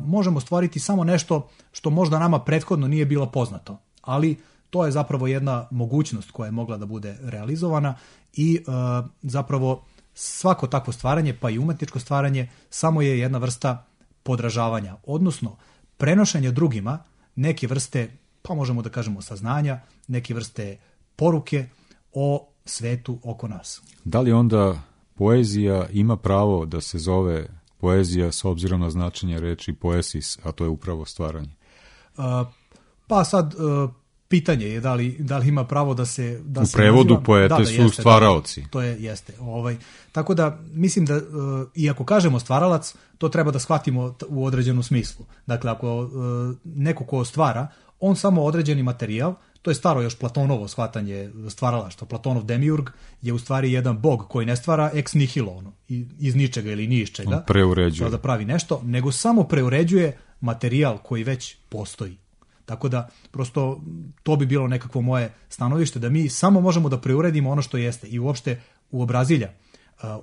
S6: možemo stvoriti samo nešto što možda nama prethodno nije bilo poznato. Ali to je zapravo jedna mogućnost koja je mogla da bude realizovana i zapravo svako takvo stvaranje, pa i umetničko stvaranje, samo je jedna vrsta podražavanja, odnosno prenošenja drugima neke vrste, pa možemo da kažemo saznanja, neke vrste poruke o svetu oko nas.
S5: Da li onda poezija ima pravo da se zove poezija s obzirom na značenje reči poesis, a to je upravo stvaranje?
S6: Pa sad pitanje je da li ima pravo da se...
S5: U prevodu naziva, poete su jeste, stvaraoci.
S6: To jeste. Tako da mislim da, iako kažemo stvaralac, to treba da shvatimo u određenom smislu. Dakle, ako neko ko stvara, on samo određeni materijal, to je staro još Platonovo shvatanje stvaralaštva. Platonov demiurg je u stvari jedan bog koji ne stvara ex nihilo, iz ničega ili ni iz čega.
S5: On preuređuje.
S6: Da pravi nešto, nego samo preuređuje materijal koji već postoji. Tako da, prosto, to bi bilo nekakvo moje stanovište, da mi samo možemo da preuredimo ono što jeste i uopšte uobrazilja.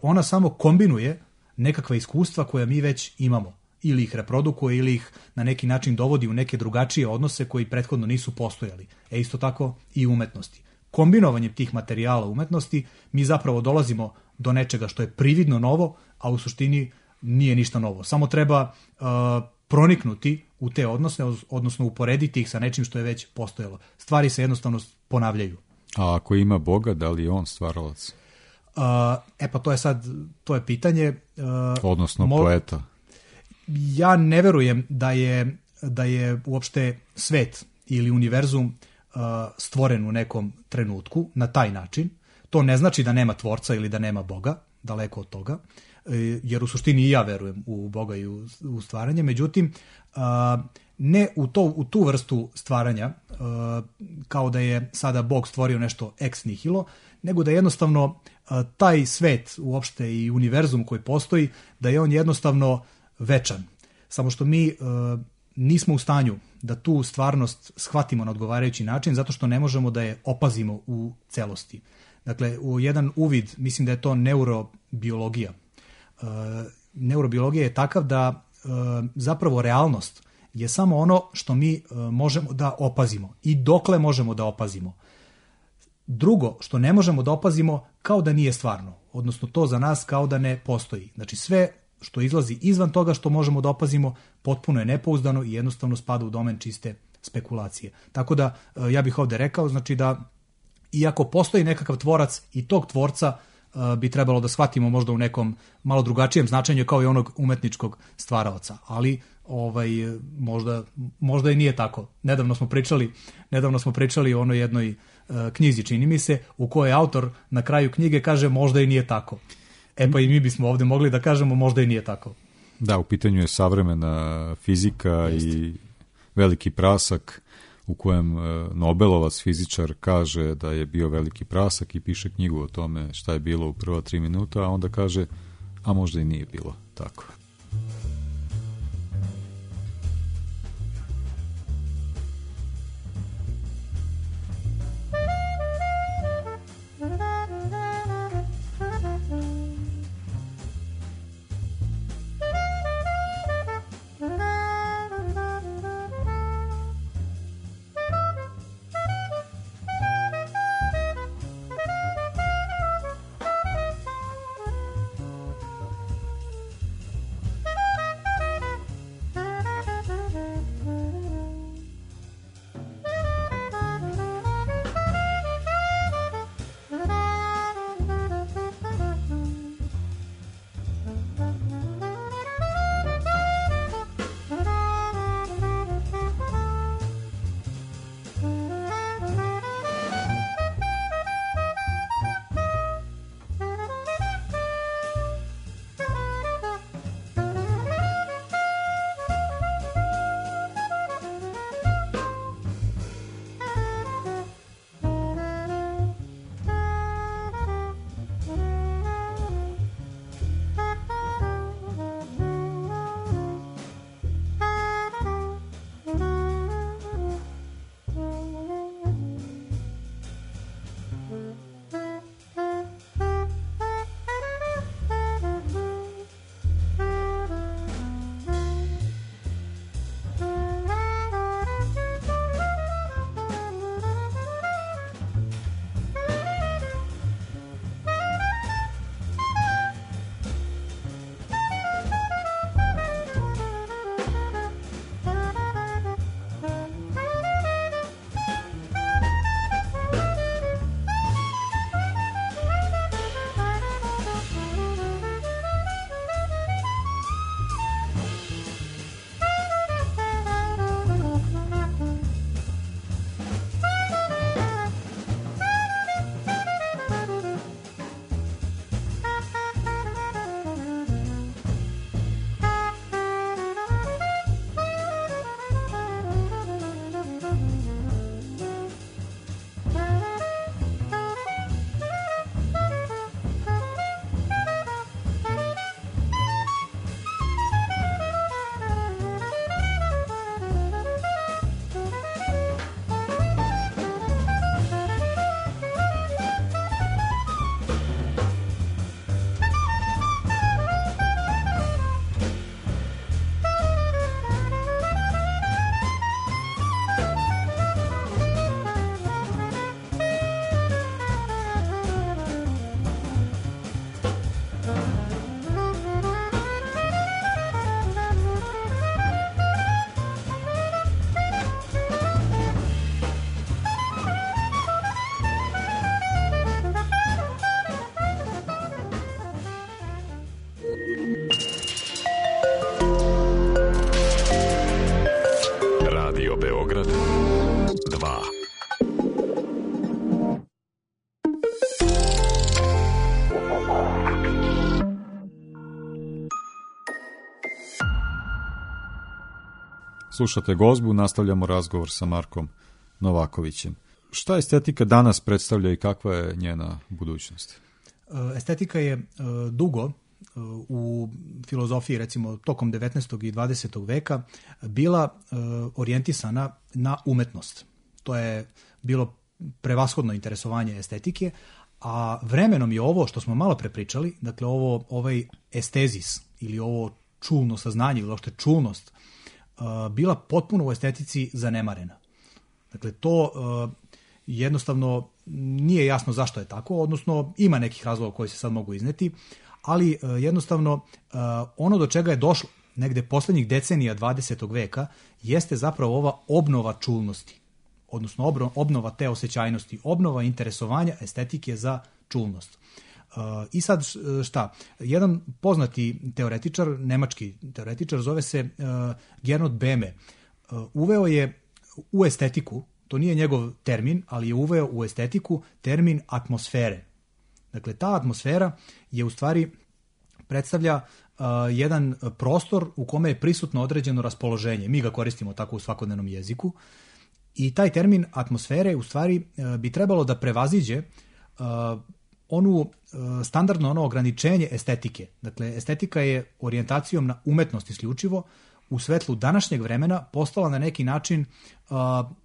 S6: Ona samo kombinuje nekakva iskustva koja mi već imamo. Ili ih reprodukuje, ili ih na neki način dovodi u neke drugačije odnose koji prethodno nisu postojali. Isto tako i umetnosti. Kombinovanjem tih materijala umetnosti mi zapravo dolazimo do nečega što je prividno novo, a u suštini nije ništa novo. Samo treba proniknuti u te odnose, odnosno uporediti ih sa nečim što je već postojalo. Stvari se jednostavno ponavljaju.
S5: A ako ima Boga, da li je on stvaralac?
S6: Pa to je pitanje.
S5: Odnosno poeta.
S6: Ja ne verujem da je uopšte svet ili univerzum stvoren u nekom trenutku na taj način. To ne znači da nema tvorca ili da nema Boga, daleko od toga, jer u suštini i ja verujem u Boga i u stvaranje. Međutim, ne u tu vrstu stvaranja, kao da je sada Bog stvorio nešto ex nihilo, nego da jednostavno taj svet uopšte i univerzum koji postoji, da je on jednostavno večan. Samo što mi nismo u stanju da tu stvarnost shvatimo na odgovarajući način, zato što ne možemo da je opazimo u celosti. Dakle, u jedan uvid, mislim da je to neurobiologija. Neurobiologija je takav da zapravo realnost je samo ono što mi možemo da opazimo i dokle možemo da opazimo. Drugo, što ne možemo da opazimo, kao da nije stvarno, odnosno to za nas kao da ne postoji. Znači sve što izlazi izvan toga što možemo da opazimo, potpuno je nepouzdano i jednostavno spada u domen čiste spekulacije. Tako da ja bih ovde rekao, znači da iako postoji nekakav tvorac i tog tvorca bi trebalo da shvatimo možda u nekom malo drugačijem značenju kao i onog umetničkog stvaraoca, ali možda i nije tako. Nedavno smo pričali o onoj jednoj knjizi, čini mi se, u kojoj autor na kraju knjige kaže možda i nije tako. Pa i mi bismo ovde mogli da kažemo možda i nije tako.
S5: Da, u pitanju je savremena fizika i veliki prasak u kojem Nobelovac fizičar kaže da je bio veliki prasak i piše knjigu o tome šta je bilo u prva 3 minuta, a onda kaže, a možda i nije bilo tako. Slušate Gozbu, nastavljamo razgovor sa Markom Novakovićem. Šta estetika danas predstavlja i kakva je njena budućnost?
S6: Estetika je dugo u filozofiji, recimo tokom 19. i 20. veka, bila orijentisana na umetnost. To je bilo prevashodno interesovanje estetike, a vremenom je ovo što smo malo prepričali, dakle ovaj estezis ili ovo čulno saznanje ili uopšte čulnost, bila potpuno u estetici zanemarena. Dakle, to jednostavno nije jasno zašto je tako, odnosno ima nekih razloga koji se sad mogu izneti, ali jednostavno ono do čega je došlo negde poslednjih decenija 20. veka jeste zapravo ova obnova čulnosti, odnosno obnova te osjećajnosti, obnova interesovanja estetike za čulnost. I sad šta? Jedan poznati teoretičar, nemački teoretičar, zove se Gernot Böhme, uveo je u estetiku, to nije njegov termin, ali je uveo u estetiku termin atmosfere. Dakle, ta atmosfera je u stvari predstavlja jedan prostor u kome je prisutno određeno raspoloženje. Mi ga koristimo tako u svakodnevnom jeziku. I taj termin atmosfere u stvari bi trebalo da prevaziđe onu standardno ono ograničenje estetike. Dakle, estetika je orijentacijom na umetnost isključivo u svetlu današnjeg vremena postala na neki način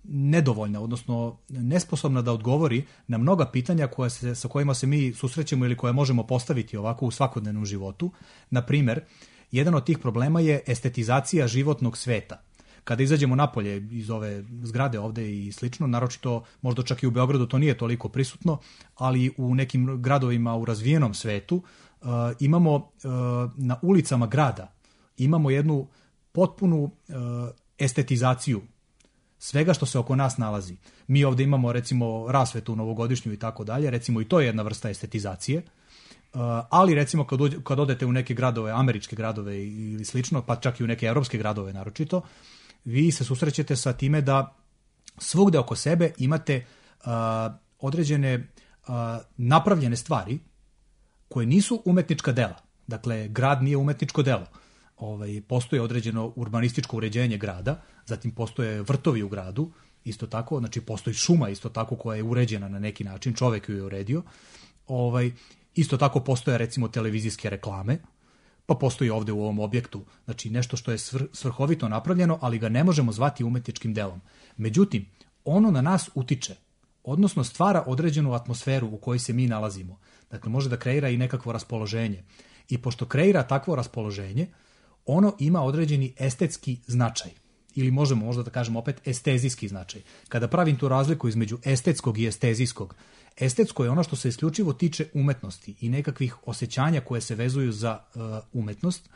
S6: nedovoljna, odnosno nesposobna da odgovori na mnoga pitanja sa kojima se mi susrećemo ili koje možemo postaviti ovako u svakodnevnom životu. Na primer, jedan od tih problema je estetizacija životnog sveta. Kada izađemo napolje iz ove zgrade ovde i slično, naročito možda čak i u Beogradu to nije toliko prisutno, ali u nekim gradovima u razvijenom svetu imamo na ulicama grada imamo jednu potpunu estetizaciju svega što se oko nas nalazi. Mi ovde imamo recimo rasvetu novogodišnju i tako dalje, recimo i to je jedna vrsta estetizacije, ali recimo kad odete u neke gradove, američke gradove ili slično, pa čak i u neke evropske gradove naročito, vi se susrećete sa time da svugde oko sebe imate određene napravljene stvari koje nisu umetnička dela. Dakle, grad nije umetničko delo. Postoje određeno urbanističko uređenje grada, zatim postoje vrtovi u gradu, isto tako, znači postoji šuma isto tako koja je uređena na neki način, čovek ju je uredio. Isto tako postoje recimo televizijske reklame, pa postoji ovde u ovom objektu, znači nešto što je svrhovito napravljeno, ali ga ne možemo zvati umetničkim delom. Međutim, ono na nas utiče, odnosno stvara određenu atmosferu u kojoj se mi nalazimo. Dakle, može da kreira i nekakvo raspoloženje. I pošto kreira takvo raspoloženje, ono ima određeni estetski značaj. Ili možemo možda da kažemo opet estezijski značaj. Kada pravim tu razliku između estetskog i estezijskog, estetsko je ono što se isključivo tiče umetnosti i nekakvih osjećanja koje se vezuju za umetnost,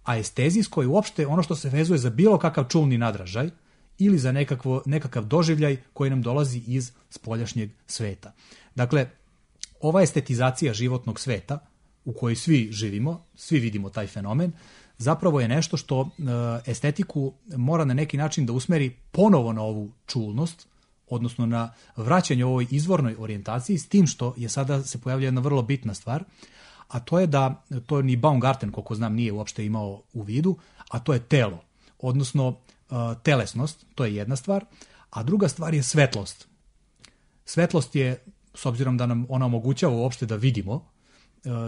S6: a estezijsko je uopšte ono što se vezuje za bilo kakav čulni nadražaj ili za nekakav doživljaj koji nam dolazi iz spoljašnjeg sveta. Dakle, ova estetizacija životnog sveta u kojoj svi živimo, svi vidimo taj fenomen, zapravo je nešto što estetiku mora na neki način da usmeri ponovo na ovu čulnost, odnosno na vraćanje ovoj izvornoj orijentaciji, s tim što je sada se pojavlja jedna vrlo bitna stvar, a to je da, to ni Baumgarten, koliko znam, nije uopšte imao u vidu, a to je telo, odnosno telesnost, to je jedna stvar, a druga stvar je svetlost. Svetlost je, s obzirom da nam ona omogućava uopšte da vidimo,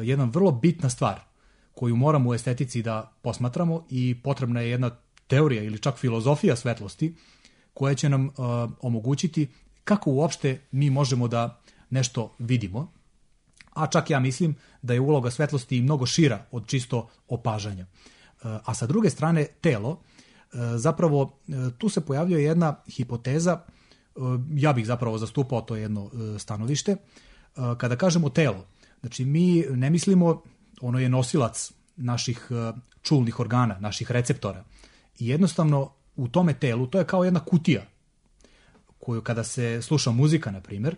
S6: jedna vrlo bitna stvar koju moramo u estetici da posmatramo i potrebna je jedna teorija ili čak filozofija svetlosti koja će nam omogućiti kako uopšte mi možemo da nešto vidimo, a čak ja mislim da je uloga svetlosti i mnogo šira od čisto opažanja. A sa druge strane, telo, zapravo tu se pojavljuje jedna hipoteza, ja bih zapravo zastupao to jedno stanovište, kada kažemo telo, znači mi ne mislimo, ono je nosilac naših čulnih organa, naših receptora i jednostavno u tome telu, to je kao jedna kutija koju kada se sluša muzika, na primjer,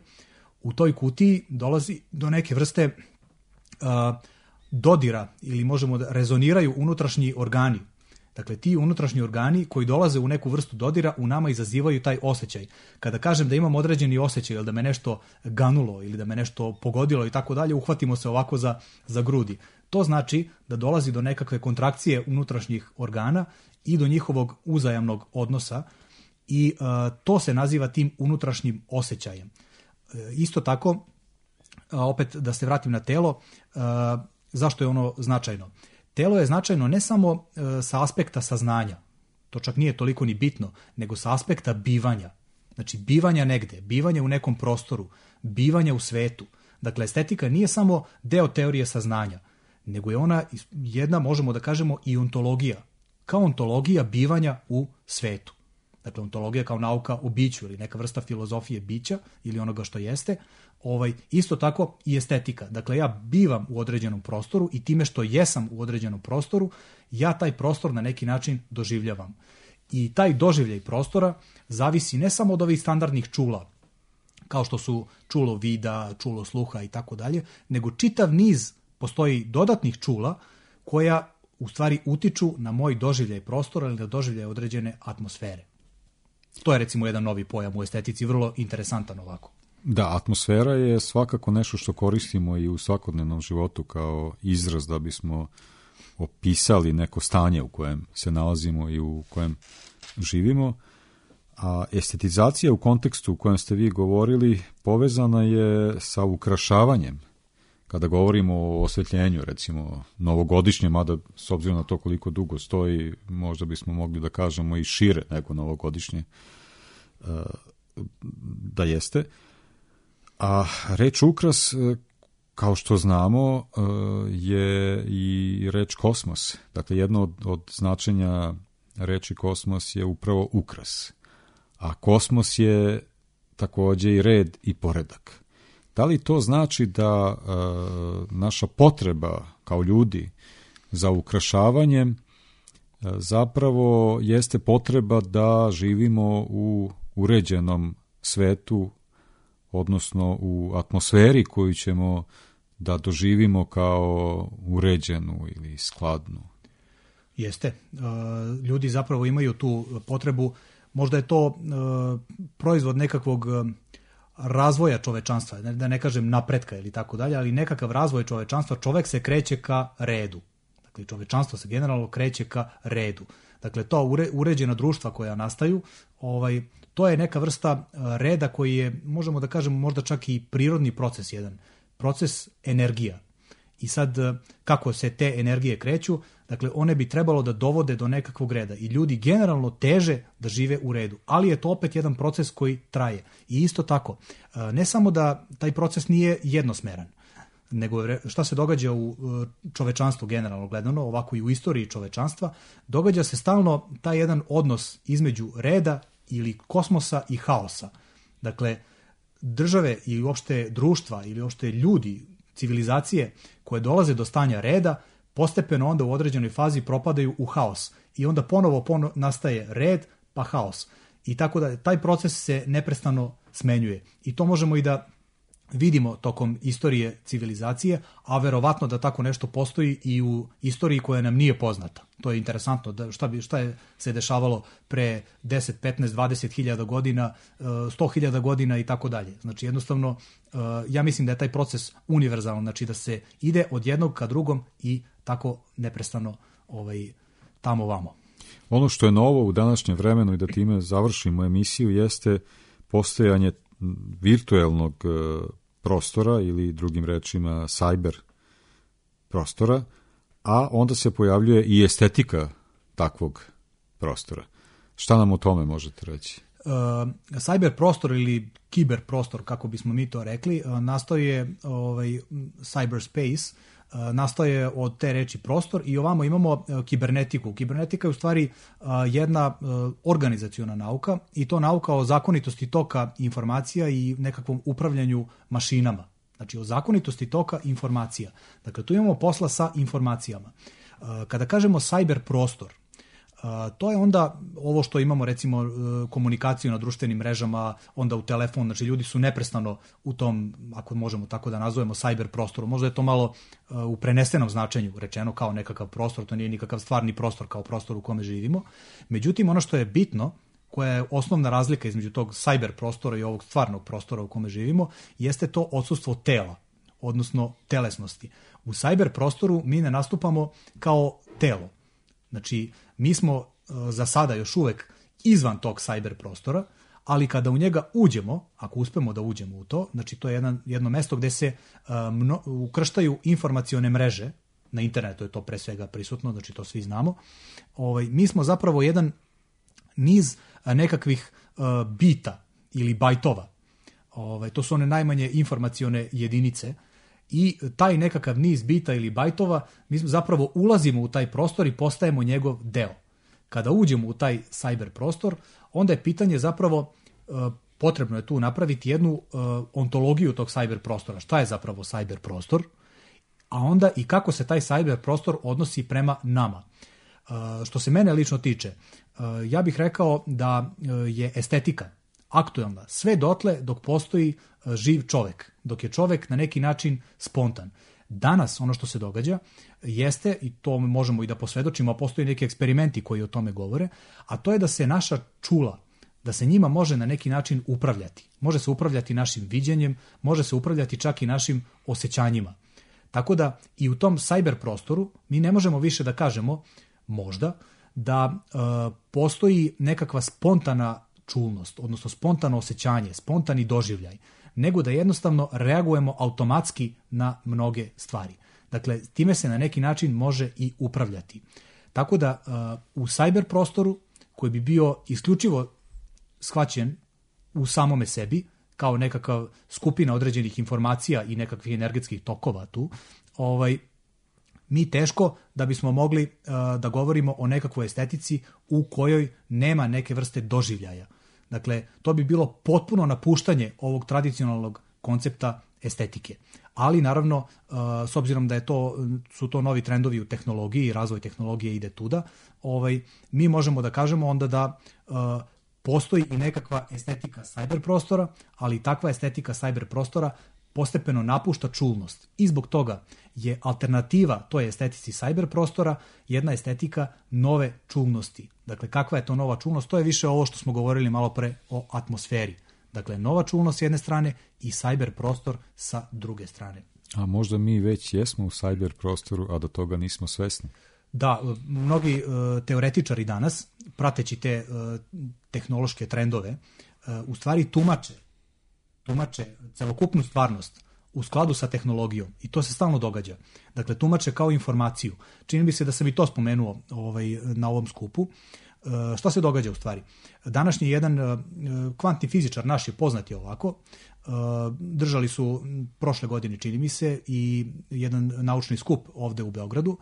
S6: u toj kutiji dolazi do neke vrste dodira ili možemo da rezoniraju unutrašnji organi. Dakle, ti unutrašnji organi koji dolaze u neku vrstu dodira u nama izazivaju taj osjećaj. Kada kažem da imam određeni osjećaj ili da me nešto ganulo ili da me nešto pogodilo i tako dalje, uhvatimo se ovako za grudi. To znači da dolazi do nekakve kontrakcije unutrašnjih organa i do njihovog uzajamnog odnosa i to se naziva tim unutrašnjim osjećajem. Isto tako, opet da se vratim na telo, zašto je ono značajno? Telo je značajno ne samo sa aspekta saznanja, to čak nije toliko ni bitno, nego sa aspekta bivanja. Znači, bivanja negde, bivanja u nekom prostoru, bivanja u svetu. Dakle, estetika nije samo deo teorije saznanja, nego je ona jedna, možemo da kažemo, i ontologija. Kao ontologija bivanja u svetu. Dakle, ontologija kao nauka o biću ili neka vrsta filozofije bića ili onoga što jeste. Isto tako i estetika. Dakle, ja bivam u određenom prostoru i time što jesam u određenom prostoru, ja taj prostor na neki način doživljavam. I taj doživljaj prostora zavisi ne samo od ovih standardnih čula, kao što su čulo vida, čulo sluha i tako dalje, nego čitav niz postoji dodatnih čula koja u stvari utiču na moj doživljaj prostora ili na doživljaj određene atmosfere. To je recimo jedan novi pojam u estetici, vrlo interesantan ovako.
S5: Da, atmosfera je svakako nešto što koristimo i u svakodnevnom životu kao izraz da bismo opisali neko stanje u kojem se nalazimo i u kojem živimo. A estetizacija u kontekstu u kojem ste vi govorili povezana je sa ukrašavanjem. Kada govorimo o osvetljenju, recimo novogodišnje, mada s obzirom na to koliko dugo stoji, možda bismo mogli da kažemo i šire nego novogodišnje da jeste. A reč ukras, kao što znamo, je i reč kosmos. Dakle, jedno od značenja reči kosmos je upravo ukras. A kosmos je takođe i red i poredak. Da li to znači da naša potreba kao ljudi za ukrašavanjem zapravo jeste potreba da živimo u uređenom svetu, odnosno u atmosferi koju ćemo da doživimo kao uređenu ili skladnu?
S6: Jeste. Ljudi zapravo imaju tu potrebu, možda je to proizvod nekakvog razvoja čovečanstva, da ne kažem napretka ili tako dalje, ali nekakav razvoj čovečanstva, čovek se kreće ka redu. Dakle, čovečanstvo se generalno kreće ka redu. Dakle, to uređena društva koja nastaju, to je neka vrsta reda koji je, možemo da kažemo, možda čak i prirodni proces jedan. Proces energija. I sad, kako se te energije kreću, dakle, one bi trebalo da dovode do nekakvog reda. I ljudi generalno teže da žive u redu. Ali je to opet jedan proces koji traje. I isto tako, ne samo da taj proces nije jednosmeran, nego šta se događa u čovečanstvu generalno gledano, ovako i u istoriji čovečanstva, događa se stalno taj jedan odnos između reda ili kosmosa i haosa. Dakle, države i uopšte društva ili uopšte ljudi, civilizacije koje dolaze do stanja reda, postepeno onda u određenoj fazi propadaju u haos. I onda ponovo nastaje red, pa haos. I tako da taj proces se neprestano smenjuje. I to možemo i da vidimo tokom istorije civilizacije, a verovatno da tako nešto postoji i u istoriji koja nam nije poznata. To je interesantno, da šta je se dešavalo pre 10, 15, 20 hiljada godina, 100 hiljada godina i tako dalje. Znači jednostavno, ja mislim da je taj proces univerzalan, znači da se ide od jednog ka drugom i tako neprestano tamo vamo.
S5: Ono što je novo u današnjem vremenu i da time završimo emisiju jeste postojanje virtuelnog prostora ili drugim rečima cyber prostora, a onda se pojavljuje i estetika takvog prostora. Šta nam o tome možete reći?
S6: Cyber prostor ili kiber prostor, kako bismo mi to rekli, nastaje cyberspace, nastaje od te reči prostor i ovamo imamo kibernetiku. Kibernetika je u stvari jedna organizaciona nauka i to nauka o zakonitosti toka informacija i nekakvom upravljanju mašinama. Znači o zakonitosti toka informacija. Dakle, tu imamo posla sa informacijama. Kada kažemo cyber prostor, to je onda ovo što imamo, recimo komunikaciju na društvenim mrežama, onda u telefon, znači ljudi su neprestano u tom, ako možemo tako da nazovemo, cyber prostoru. Možda je to malo u prenesenom značenju rečeno kao nekakav prostor, to nije nikakav stvarni prostor kao prostor u kome živimo. Međutim, ono što je bitno, koja je osnovna razlika između tog cyber prostora i ovog stvarnog prostora u kome živimo, jeste to odsustvo tela, odnosno telesnosti. U cyber prostoru mi ne nastupamo kao telo. Znači, mi smo za sada još uvek izvan tog cyber prostora, ali kada u njega uđemo, ako uspemo da uđemo u to, znači to je jedno mesto gde se ukrštaju informacione mreže, na internetu je to pre svega prisutno, znači to svi znamo, mi smo zapravo jedan niz nekakvih bita ili bajtova. To su one najmanje informacione jedinice i taj nekakav niz bita ili bajtova, mi zapravo ulazimo u taj prostor i postajemo njegov deo. Kada uđemo u taj cyber prostor, onda je pitanje zapravo, potrebno je tu napraviti jednu ontologiju tog cyber prostora. Šta je zapravo cyber prostor? A onda i kako se taj cyber prostor odnosi prema nama. Što se mene lično tiče, ja bih rekao da je estetika aktuelna sve dotle dok postoji živ čovek, dok je čovek na neki način spontan. Danas ono što se događa jeste, i to možemo i da posvedočimo, a postoji neki eksperimenti koji o tome govore, a to je da se naša čula, da se njima može na neki način upravljati. Može se upravljati našim viđenjem, može se upravljati čak i našim osjećanjima. Tako da i u tom cyber prostoru mi ne možemo više da kažemo, možda, da postoji nekakva spontana čulnost, odnosno spontano osjećanje, spontani doživljaj, nego da jednostavno reagujemo automatski na mnoge stvari. Dakle, time se na neki način može i upravljati. Tako da u cyber prostoru, koji bi bio isključivo shvaćen u samome sebi, kao nekakav skupina određenih informacija i nekakvih energetskih tokova tu, mi teško da bismo mogli da govorimo o nekakvoj estetici u kojoj nema neke vrste doživljaja. Dakle, to bi bilo potpuno napuštanje ovog tradicionalnog koncepta estetike. Ali, naravno, s obzirom da su to novi trendovi u tehnologiji i razvoj tehnologije ide tuda, mi možemo da kažemo onda da postoji i nekakva estetika cyber prostora, ali takva estetika cyber prostora postepeno napušta čulnost. I zbog toga je alternativa toj estetici cyber prostora jedna estetika nove čulnosti. Dakle, kakva je to nova čulnost? To je više ovo što smo govorili malo pre o atmosferi. Dakle, nova čulnost s jedne strane i cyber prostor sa druge strane.
S5: A možda mi već jesmo u cyber prostoru, a do toga nismo svesni?
S6: Da, mnogi teoretičari danas, prateći te tehnološke trendove, u stvari tumače celokupnu stvarnost u skladu sa tehnologijom i to se stalno događa. Dakle, tumače kao informaciju. Čini mi se da sam i to spomenuo na ovom skupu. Šta se događa u stvari? Današnji jedan kvantni fizičar, naš je poznati ovako, držali su prošle godine, čini mi se, i jedan naučni skup ovde u Beogradu.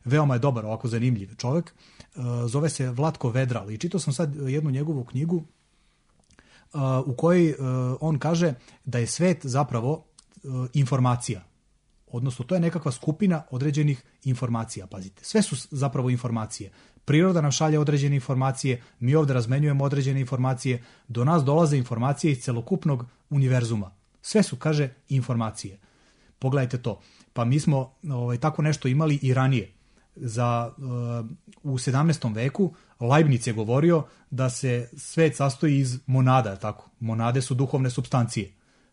S6: Veoma je dobar, ovako zanimljiv čovek. Zove se Vlatko Vedral i čitao sam sad jednu njegovu knjigu u kojoj on kaže da je svet zapravo informacija. Odnosno, to je nekakva skupina određenih informacija, pazite. Sve su zapravo informacije. Priroda nam šalje određene informacije, mi ovde razmenjujemo određene informacije, do nas dolaze informacije iz celokupnog univerzuma. Sve su, kaže, informacije. Pogledajte to. Pa mi smo tako nešto imali i ranije. U 17. veku Leibniz je govorio da se svet sastoji iz monada, tako. Monade su duhovne supstancije,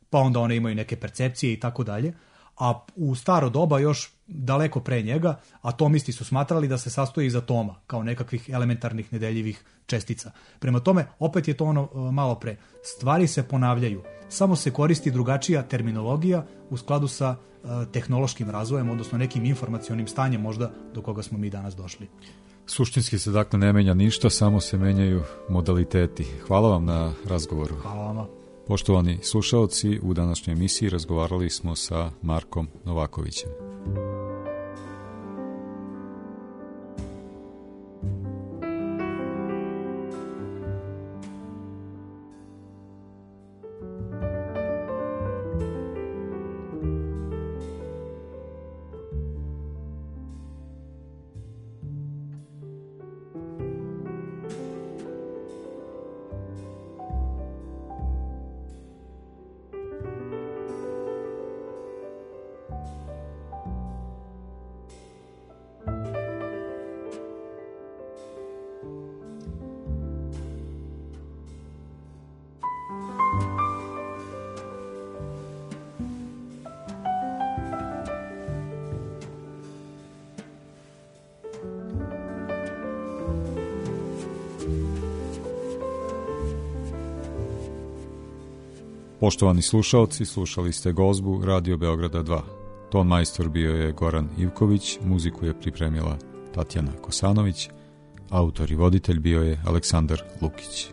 S6: pa onda one imaju neke percepcije i tako dalje. A u staro doba, još daleko pre njega, atomisti su smatrali da se sastoji iz atoma, kao nekakvih elementarnih nedeljivih čestica. Prema tome, opet je to ono malo pre. Stvari se ponavljaju, samo se koristi drugačija terminologija u skladu sa tehnološkim razvojem, odnosno nekim informacionim stanjem možda do koga smo mi danas došli.
S5: Suštinski se dakle ne menja ništa, samo se menjaju modaliteti. Hvala vam na razgovoru.
S6: Hvala vama.
S5: Poštovani slušaoci, u današnjoj emisiji razgovarali smo sa Markom Novakovićem. Poštovani slušaoci, slušali ste Gozbu Radio Beograda 2. Ton majstor bio je Goran Ivković, muziku je pripremila Tatjana Kosanović, autor i voditelj bio je Aleksandar Lukić.